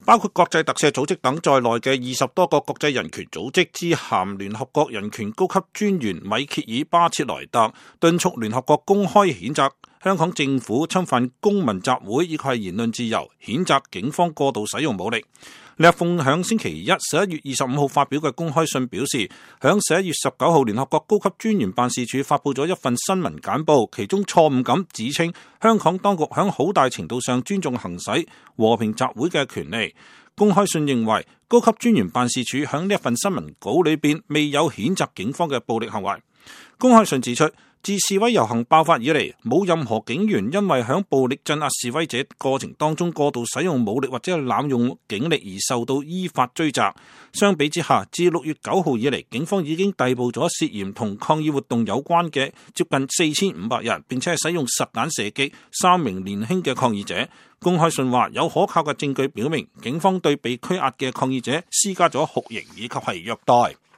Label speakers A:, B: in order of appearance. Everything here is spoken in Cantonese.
A: 包括國際特赦組織等在內嘅20多個國際人權組織致函聯合國人權高級專員米歇爾巴切萊特，敦促聯合國公開譴責香港政府侵犯公民集會以及係言論自由，譴責警方過度使用武力。呢一封響星期一11月25號發表嘅公開信表示，響11月19號聯合國高級專員辦事處發布咗一份新聞簡報，其中錯誤咁指稱香港當局響好大程度上尊重行使和平集會嘅權利。公開信認為，高級專員辦事處響呢一份新聞稿裏邊未有譴責警方嘅暴力行為。公開信指出，自示威遊行爆發以嚟，冇任何警員因為響暴力鎮壓示威者過程當中過度使用武力或者係濫用警力而受到依法追責。相比之下，自6月9號以嚟，警方已經逮捕咗涉嫌同抗議活動有關嘅接近4500人，並且係使用實彈射擊3名年輕嘅抗議者。公開信話有可靠嘅證據表明，警方對被拘押嘅抗議者施加咗酷刑以及係虐待。